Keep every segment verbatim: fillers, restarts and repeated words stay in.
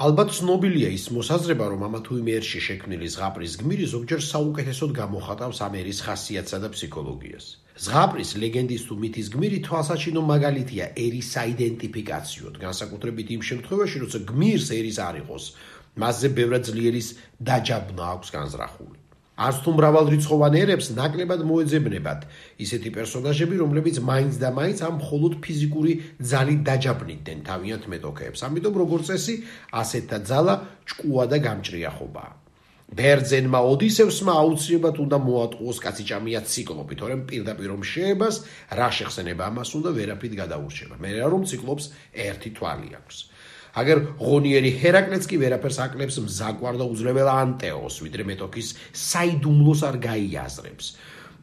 ალბათ ცნობილია ის მოსაზრება, რომ ამა თუ იმ ერში შექმნილი ზღაპრის გმირი ზოგჯერ საუკეთესოდ გამოხატავს ამ ერის ხასიათსა და ფსიქოლოგიას. ზღაპრის ლეგენდის თუ მითის გმირი თვალსაჩინო მაგალითია ერის საიდენტიფიკაციოდ, განსაკუთრებით იმ შემთხვევაში, როცა გმირს ერის არ იყოს, მასზე ბევრად ძლიერის დაჯაბნა აქვს განზრახული. არც თუ მრავალრიცხოვან ერებს ნაკლებად მოეძებნებათ ისეთი პერსონაჟები, რომლებიც მაინც და მაინც ამ მხოლოდ ფიზიკური ძალით დაჯაბნიდნენ თავიანთ მეტოქეებს. ამიტომ როგორც წესი, ასეთთა ძალა ჭკუა და გამჭრიახობაა. ბერძენმა ოდისევსმა აუცილებლად უნდა მოატყუოს კაციჭამია ციკლოპი, თორემ პირდაპირ რომ შეებას, რა შეხსენება ამას უნდა ვერაფრით გადაურჩება. მე რომ ციკლოპს ერთი თვალი აქვს. აგერ ღონიერი ჰერაკლეც კი ვერაფერს აკლებს მზაკვარ და უძლებელ ანტეოს, ვიდრე მეტოქის საიდუმლოს არ გაიაზრებს.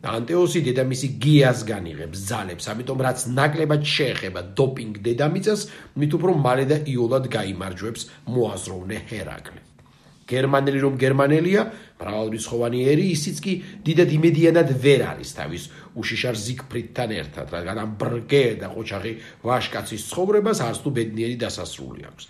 ანტეოსი დედამისი გიას განიღებს ძალებს, ამიტომ რაც ნაკლებად შეეხება დოპინგ დედამიწას, მით უფრო მალე და იოლად გაიმარჯვებს მოაზროვნე ჰერაკლე. გერმანელი რომ გერმანელია, მრავალრიცხოვანი ერი, ისიც კი დიდად იმედიანად ვერ არის თავის უშიშარ ზიგფრიდთან ერთად, რადგან ამ ბრგე და ყოჩაღი ვაშკაცის ცხოვრებას არც თუ ბედნიერი დასასრული აქვს.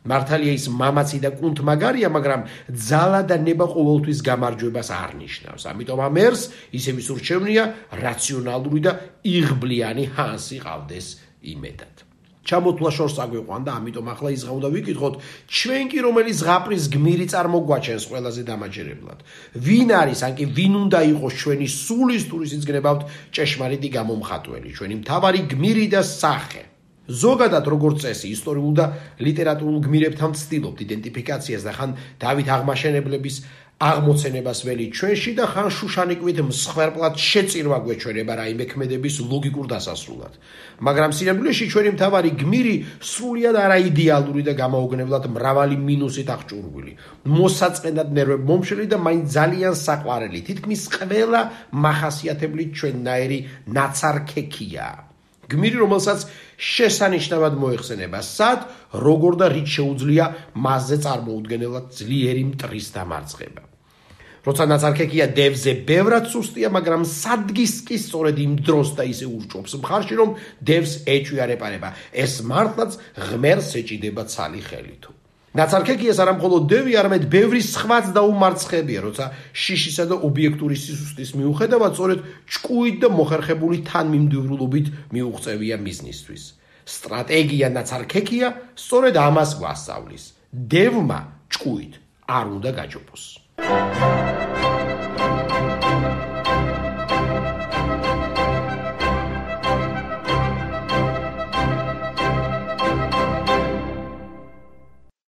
მართალია ის მამაცი და კუნთმაგარია, მაგრამ ძალა და ნება ყოველთვის გამარჯვებას არ ნიშნავს. ამიტომ ამ ერს ისევ ის ურჩევნია რაციონალური და იღბლიანი ჰანსი ყავდეს იმედად. ჩამოთვლა შორს აგვიყვანდა, ამიტომ ახლა ის უნდა ვიკითხოთ, ჩვენ კი რომელი ზღაპრის გმირი წარმოგვაჩენს ყველაზე დამაჯერებლად. ვინ არის, ან კი ვინ უნდა იყოს ჩვენი სულის ტურისიც გნებავთ ჭეშმარიტი გამომხატველი, ჩვენი მთავარი გმირი და სახე. ზოგადად როგორც წესი, ისტორიულ და ლიტერატურულ გმირებთან ვცდილობთ იდენტიფიკაციას და ხან დავით აღმაშენებლების აღმოცენებას ველი ჩვენში და ხან შუშანიკვით მსხვერპლად შეწირვა გვეჩვენება რაიმე ქმედების ლოგიკურ დასასრულად. მაგრამ სინამდვილეში ჩვენი მთავარი გმირი სრულიად არაიდეალური და გამაოგნებლად მრავალი მინუსით აღჭურვილი, მოსაწყენად ნერვებმომშველი და მაინც ძალიან საყვარელი, თითქმის ყველა მახასიათებლით ჩვენნაირი ნაცარქექია. გმირი, რომელსაც შესანიშნავად მოეხსენება სად, როგორ და რით შეუძლია მასზე წარმოუდგენელად ძლიერი მტრის დამარცხება. როცა ნაცარქექია დევზე ბევრად სუსტია, მაგრამ სადგის კი სწორედ იმ დროს და ისე ურჭობს მხარში, რომ დევს ეჭვი არ ეპარება. ეს მართლაც ღმერთს ეჭიდება ცალი ხელით. ნაცარქექიას არა მხოლოდ დევი, არამედ ბევრი სხვაც დაუმარცხებია, როცა შიშისა და ობიექტური სისუსტის მიუხედავად, სწორედ ჭკუით და მოხერხებული თანმიმდევრულობით მიუღწევია მიზნისთვის. სტრატეგია ნაცარქექია სწორედ ამას გვასწავლის. დევმა ჭკუით არ უნდა გაჯობოს.